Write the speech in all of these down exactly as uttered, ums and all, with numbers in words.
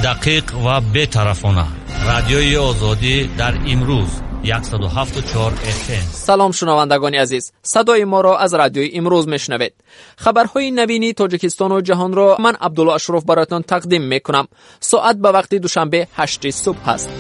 Дақиқ ва бетарафона. Радиои Озодӣ дар имрӯз яксаду ҳафту чор эф эм. Салом шунавандагони азиз. Садои моро аз радиои имрӯз мешунавед. Хабарҳои навини Тоҷикистону ҷаҳонро ман Абдулло Ашроф бароятон тақдим мекунам. Соат ба вақти душанбе ҳашти субҳ аст.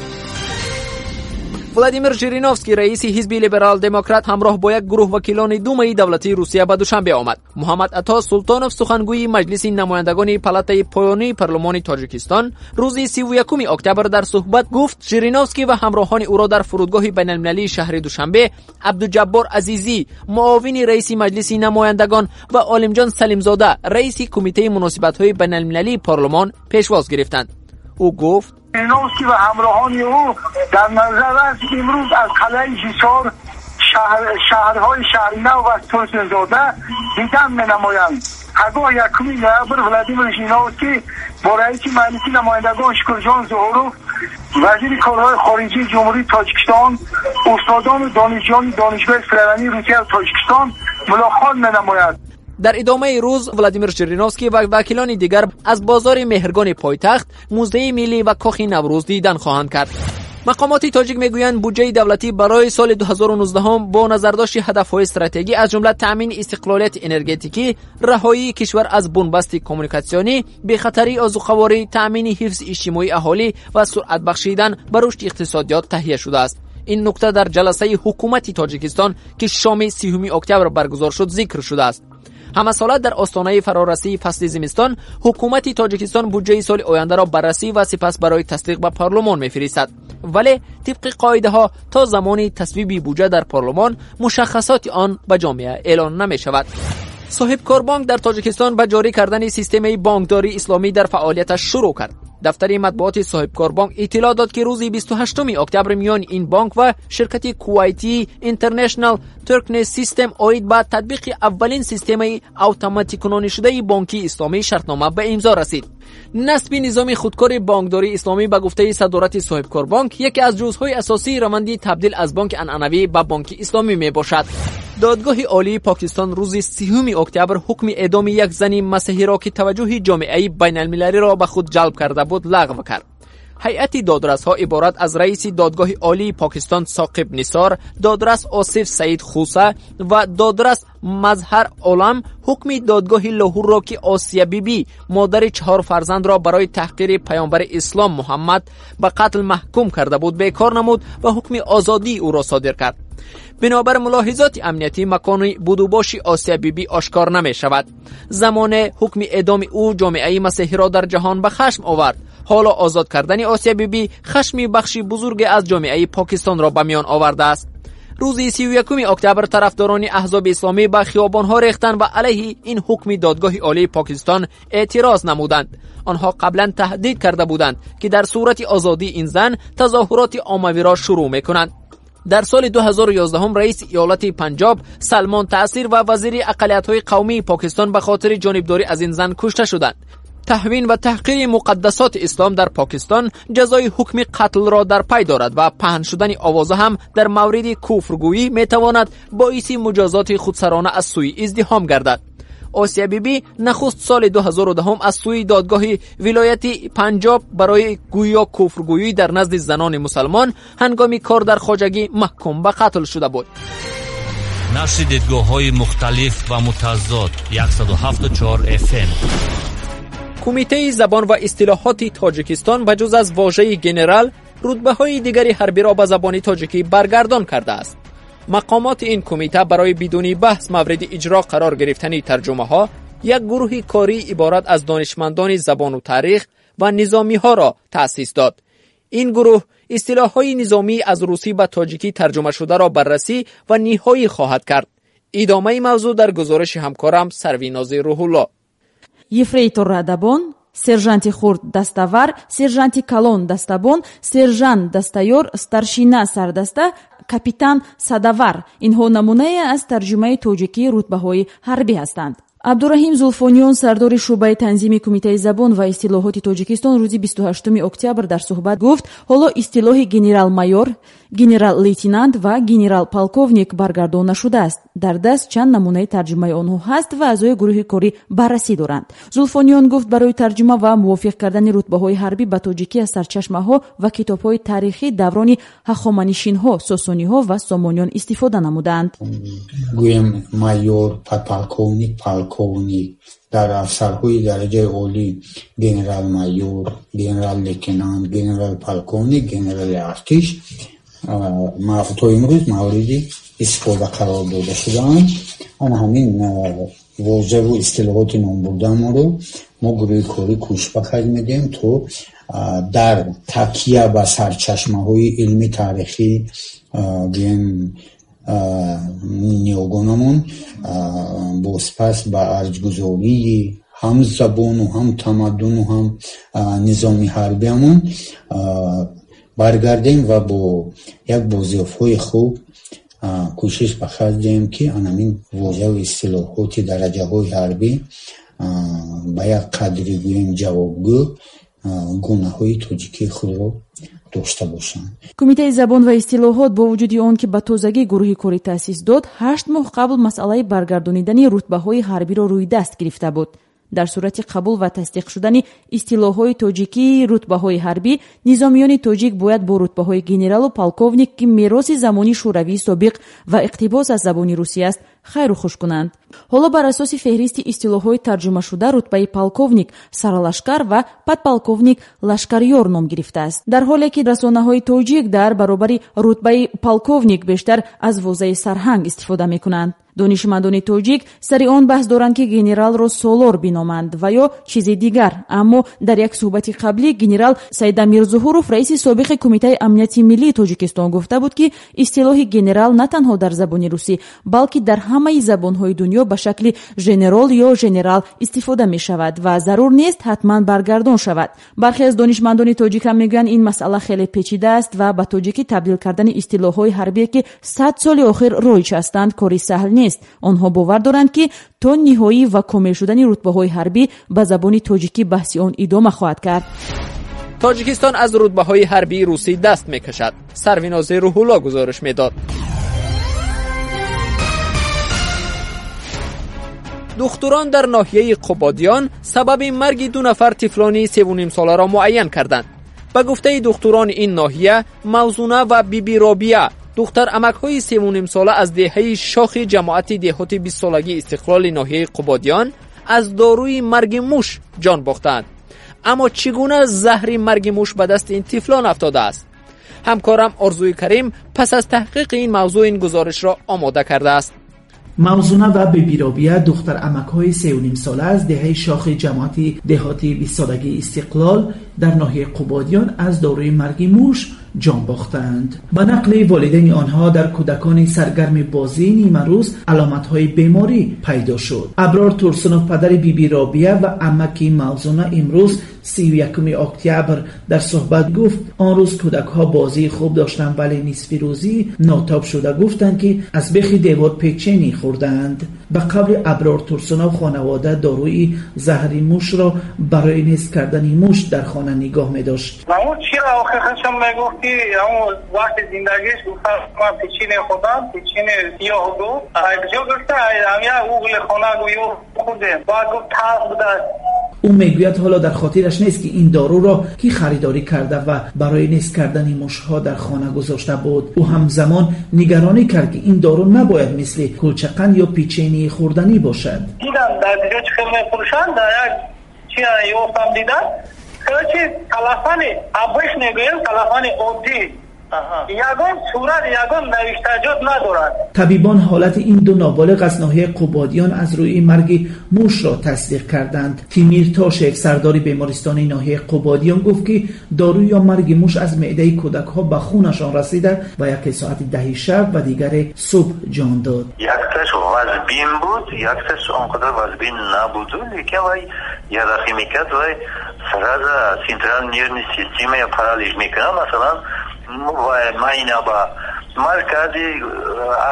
Владимир Жириновский, раиси ҳизби либерал-демократ, ҳамроҳ бо як гурӯҳ вакилони Думаи давлатии Русия ба Душанбе омад. Муҳаммад Ато Султонов, сухангӯи Маҷлиси намояндагони палатаи поёнии парлумони Тоҷикистон, рӯзи сиву якуми октябр дар суҳбат гуфт, Жириновский ва ҳамроҳони ӯро дар фурудгоҳи байналмилалии шаҳри Душанбе Абдуҷаббор Азизӣ, муовини раиси Маҷлиси намояндагон, ва Олимҷон Салимзода, раиси Кумитаи муносибатҳои байналмилалии парлумон, пешвоз гирифтанд. Ӯ гуфт: Жириновский ва ҳамроҳони ӯ дар назар аст имрӯз аз қалъаи Ҳисор, шаҳрҳои Шаҳринав ва Турсунзода дидан менамоянд. Пагоҳ якуми ноябр Владимир Жириновский бо раиси Маҷлиси намояндагон Шукурҷон Зуҳуров, вазири корҳои хориҷии Ҷумҳурии Тоҷикистон, устодону донишҷӯёни Донишгоҳи Федералии Русия ва Тоҷикистон мулоқот менамояд. Дар идомаи рӯз Владимир Жириновский ва вакилони дигар аз бозори Меҳргони пойтахт, Музеи миллӣ ва Кохи Наврӯз дидан хоҳанд кард. Мақомоти тоҷик мегӯянд, буҷаи давлатӣ барои соли дуҳазору нуздаҳум бо назардошти ҳадафҳои стратегӣ, аз ҷумла таъмини истиқлолияти энергетикӣ, раҳоии кишвар аз бунбасти коммуникатсионӣ, бехатарии озуқаворӣ, таъмини ҳифзи иҷтимоии аҳолӣ ва суръат бахшидан ба рушди иқтисодиёт таҳия шудааст. Ин нукта дар ҷаласаи ҳукумати Тоҷикистон, ки шоми сиюми октябр баргузор шуд, зикр шудааст. Ҳамасола дар остонаи фарорасии фасли зимистон ҳукумати Тоҷикистон буҷаи соли ояндаро баррасӣ ва сипас барои тасдиқ ба парлумон мефиристад. Вале тибқи қоидаҳо то замони тасвиби буҷа дар парлумон мушаххасоти он ба ҷомеа эълон намешавад. Соҳибкорбонк дар Тоҷикистон ба ҷорӣ кардани системаи бонкдории исломӣ дар фаъолияташ шурӯъ кард. Дафтари матбуоти Соҳибкорбонк иттилоъ дод, ки рӯзи бисту ҳаштуми октябр миёни ин бонк ва ширкати Кувайтии International Turkey System оид ба татбиқи аввалин системаи автоматикунонишудаи бонкии исломӣ шартнома ба имзо расид. Насби низоми худкори бонкдории исломӣ ба гуфтаи садорати Соҳибкорбонк яке аз ҷузъҳои асосии раванди табдил аз бонки анъанавӣ ба бонки исломӣ мебошад. Додгоҳи олии Покистон рӯзи сиюми октябр ҳукми эъдоми як зани масеҳиро, ки таваҷҷӯҳи ҷомеаи байналмилалиро ба худ ҷалб карда буд, лағв кард. Ҳайати додрасҳо иборат аз раиси додгоҳи олии Покистон Соқиб Нисор, додрас Осиф Саид Хуса ва додрас Мазҳар Олам ҳукми додгоҳи Лоҳурро, ки Осия Бибӣ, модари чаҳор фарзандро барои таҳқири паёмбари ислом Муҳаммад ба қатл маҳкум карда буд, бекор намуд ва ҳукми озодии ӯро содир кард. Бинобар мулоҳизоти амниятӣ макони будубоши Осия Бибӣ ошкор намешавад. Замоне ҳукми эъдоми ӯ ҷомеаи масеҳиро дар ҷаҳон ба хашм овард. Ҳоло озод кардани Осия Бибӣ хашми бахши бузурге аз ҷомеаи Покистонро ба миён овардааст. Рӯзи сию якуми октябр тарафдорони аҳзоби исломӣ ба хиёбонҳо рехтанд ва алайҳи ин ҳукми додгоҳи олии Покистон эътироз намуданд. Онҳо қаблан таҳдид карда буданд, ки дар сурати озодии ин зан тазоҳуроти оммавиро шурӯъ мекунанд. Дар соли дуҳазору ёздаҳум раиси иёлати Панҷоб Салмон Таъсир ва вазири ақалиятҳои қавмии Покистон ба хотири ҷонибдорӣ аз ин зан кушта шуданд. Таҳвин ва таҳқири муқаддасоти ислом дар Покистон ҷазои ҳукми қатлро дар пай дорад ва паҳн шудани овоза ҳам дар мавриди куфргӯӣ метавонад боиси муҷозоти худсарона аз сӯи издиҳом гардад. Осия Бибӣ нахуст соли дуҳазору даҳум аз сӯи додгоҳи вилояти Панҷоб барои гӯё куфргӯӣ дар назди занони мусалмон ҳангоми кор дар хоҷагӣ маҳкум ба қатл шуда буд. Нашри дидгоҳҳои мухталиф ва мутазод яксаду ҳафту чор эф эм. Кумитаи забон ва истилоҳоти Тоҷикистон ба ҷуз аз вожаи генерал рутбаҳои дигари ҳарбиро ба забони тоҷикӣ баргардон кардааст. Мақомоти ин кумита барои бидуни баҳс мавриди иҷро қарор гирифтани тарҷумаҳо як гурӯҳи корӣ иборат аз донишмандони забону таърих ва низомиҳоро таъсис дод. Ин гурӯҳ истилоҳҳои низомӣ аз русӣ ба тоҷикӣ тарҷумашударо баррасӣ ва ниҳоӣ хоҳад кард. Идомаи мавзӯъ дар гузориши ҳамкорам Сарвинози Рӯҳулло. Ефрейтор Радабон, сержанти хурд Даставар, сержанти калон Дастабон, сержант Дастаёр, старшина Сардаста, капитан Садавар. Инҳо намунае аз тарҷумаи тоҷикии рутбаҳои ҳарбӣ ҳастанд. Абдураҳим Зулфониён, сардори шӯъбаи танзими Кумитаи забон ва истилоҳоти Тоҷикистон, рӯзи бисту ҳаштуми октябр дар суҳбат гуфт, ҳоло истилоҳи генерал-майор, генерал-лейтенант ва генерал-полковник баргардон нашудааст. Дар даст чанд намунаи тарҷумаи онҳо ҳаст ва аъзои гурӯҳи корӣ баррасӣ доранд. Зулфониён гуфт, барои тарҷума ва мувофиқ кардани рутбаҳои ҳарбӣ ба тоҷикӣ аз сарчашмаҳо ва китобҳои таърихӣ даврони ҳахоманишинҳо, сосониҳо ва сомониён истифода намуданд. Гӯем майор, подполковник, полковник, дар афсарҳои дараҷаи олӣ генерал-майор, генерал-лейтенант, генерал-полковник, генерали артиш то имрӯз мавриди истифода қарор дода шудаанд. Ана ҳамин вожаву истилоҳоти номбурдаамонро мо гурӯҳи корӣ кӯшиш ба харҷ медиҳем, то дар такя ба сарчашмаҳои илми таърихӣ гӯем ниёгонамон бозпас ба арҷгузории ҳам забону ҳам тамаддуну ҳам низоми ҳарбиамон баргардем ва бо як бозёфтҳои хуб кӯшиш ба харҷ диҳем, ки анамин вожаву истилоҳоти дараҷаҳои ҳарбӣ ба як қадри гӯем ҷавобгӯ гунаҳои тоҷикии худро дошта бошанд. Кумитаи забон ва истилоҳот бо вуҷуди он ки ба тозагӣ гурӯҳи корӣ таъсис дод, ҳашт моҳ қабл масъалаи баргардонидани рутбаҳои ҳарбиро рӯи даст гирифта буд. Дар сурати қабул ва тасдиқ шудани истилоҳҳои тоҷикии рутбаҳои ҳарбӣ, низомиёни тоҷик бояд бо рутбаҳои генералу полковник, ки мероси замони шӯравии собиқ ва иқтибос аз забони русӣ аст, хайру хуш кунанд. Ҳоло бар асоси феҳристи истилоҳҳои тарҷумашуда рутбаи полковник сарлашкар ва подполковник лашкарёр ном гирифтааст. Дар ҳоле ки расонаҳои тоҷик дар баробари рутбаи полковник бештар аз возаи сарҳанг истифода мекунанд. Донишмандони тоҷик сари он баҳс доранд, ки генералро солор биноманд ва ё чизи дигар. Аммо дар як суҳбати қаблӣ генерал Саидамир Зуҳуров, раиси собиқи Кумитаи амнияти миллии Тоҷикистон, гуфта буд, ки истилоҳи генерал на танҳо дар забони русӣ, балки дар ҳамаи забонҳои дунё ба шакли женерол ё женерал истифода мешавад ва зарур нест ҳатман баргардон шавад. Бархе аз донишмандони тоҷик ҳам мегӯянд, ин масъала хеле печида аст ва ба тоҷикӣ табдил кардани истилоҳҳои ҳарбие, ки сад соли охир роиҷ ҳастанд, кори саҳл нест. Онҳо бовар доранд, ки то ниҳоӣ ва комил шудани рутбаҳои ҳарбӣ ба забони тоҷикӣ баҳси он идома хоҳад кард. Тоҷикистон аз рутбаҳои ҳарбии русӣ даст мекашад. Сарвинози Рӯҳулло гузориш медод. Духтурон дар ноҳияи Қубодиён сабаби марги ду нафар тифлони севу нимсоларо муайян карданд. Ба гуфтаи духтурони ин ноҳия, Мавзуна ва Биби Робия, духтар амакҳои севу нимсола аз деҳаи шохи ҷамоати деҳоти бистсолагии истиқлоли ноҳияи Қубодиён, аз доруи марги муш ҷон бохтанд. Аммо чӣ гуна заҳри марги муш ба дасти ин тифлон афтодааст? Ҳамкорам Орзуи Карим пас аз таҳқиқи ин мавзӯъ ин гузоришро омода кардааст. Мавзуна ва Биби Робия, духтар амакҳои сею нимсола аз деҳаи шохи ҷамоати деҳоти бистсолагии истиқлол дар ноҳияи Қубодиён аз доруи марги муш ҷон бохтанд. Ба нақли волидайни онҳо, дар кӯдакони саргарми бозӣ нимарӯз аломатҳои беморӣ пайдо шуд. Аброр Турсунов, падари Биби Робия ва амаки Мавзуна, имрӯз сию якуми октябр дар суҳбат гуфт, он рӯз кӯдакҳо бозии хуб доштанд, вале нисфи рӯзӣ нотоб шуда гуфтанд, ки аз бехи девор печени хӯрдаанд. Ба қавли Аброр Турсунов, хонавода доруи заҳри мушро барои нест кардани муш дар хона нигоҳ медошт. ки вақти зиндагиш гуфта ман печине хӯрдам, печине сиёҳ гуфт, куҷо гуфта ҳамя угли хона гӯё хӯрдем, баъд гуфт талх будааст. Ӯ мегӯяд ҳоло дар хотираш нест, ки ин доруро кӣ харидорӣ карда ва барои нест кардани мушҳо дар хона гузошта буд. Ӯ ҳамзамон нигаронӣ кард, ки ин дору набояд мисли кулчақанд ё печении хӯрданӣ бошад. Дидам дар ҷо чӣ хел мефурӯшанд, дар як чи ёфтам дидам. Короче, талафани обычный гӯем, талафани оддӣ. Ягон сурат, ягон навиштаҷот надорад. Табибон ҳолати ин ду ноболиғ аз ноҳияи Қубодиён аз рӯи марги мушро тасдиқ карданд. Тимир Тошев, сардори бемористони ноҳияи Қубодиён, гуфт, ки дору ё марги муш аз меъдаи кӯдакҳо ба хунашон расида ва яке соати даҳи шаб ва дигаре субҳ ҷон дод. Якташ вазбин буд, якташ он қадар вазбин набуду, лекин вай ярахӣ мекард, вай сразу центральная нервная система паралич мекунад. Масалан, майна ба Маркази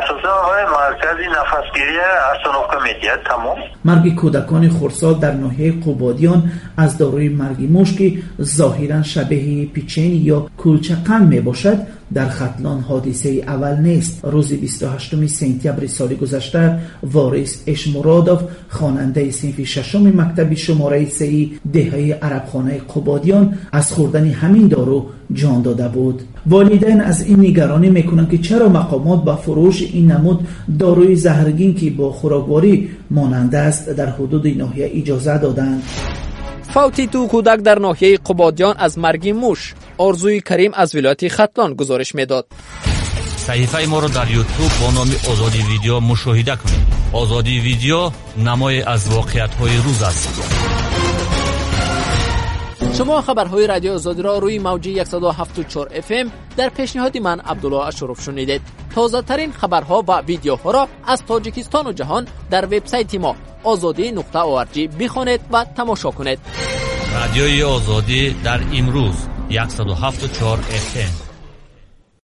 асосан вай маркази нафасгирия остановка медиҳад, тамом. Марги кӯдакони хурдсол дар ноҳияи Қубодиён аз доруи марги муш, ки зоҳиран шабеҳи печенье ё кулчақанд мебошад, дар Хатлон ҳодисаи аввал нест. Рӯзи бисту ҳаштуми сентябри соли гузашта Ворис Эшмуродов, хонандаи синфи шашуми мактаби шумораи сеи деҳаи Арабхонаи Қубодиён, аз хӯрдани ҳамин дору ҷон дода буд. Волидайн аз ин нигаронӣ мекунанд, ки чаро мақомот ба фурӯши ин намуд доруи заҳргин, ки бо хӯрокворӣ монанд аст, дар ҳудуди ноҳия иҷоза доданд. Фавти ду кӯдак дар ноҳияи Қубодиён аз марги муш. Орзуи Карим аз вилояти Хатлон гузориш медод. Саҳифаи моро дар Ютуб бо номи Озодӣ Видео мушоҳида кунед. Озодӣ Видео намое аз воқеиятҳои рӯз аст. Шумо хабарҳои Радиои Озодиро рӯи мавҷи яксаду ҳафтоду чор эф эм дар пешниҳоди ман Абдулло Ашуров шунидед. Тозатарин хабарҳо ва видеоҳоро аз Тоҷикистону ҷаҳон дар вебсайти мо озодӣ нуқта орг бихонед ва тамошо кунед. Радиои Озодӣ дар имрӯз яксаду ҳафтоду чор эф эм.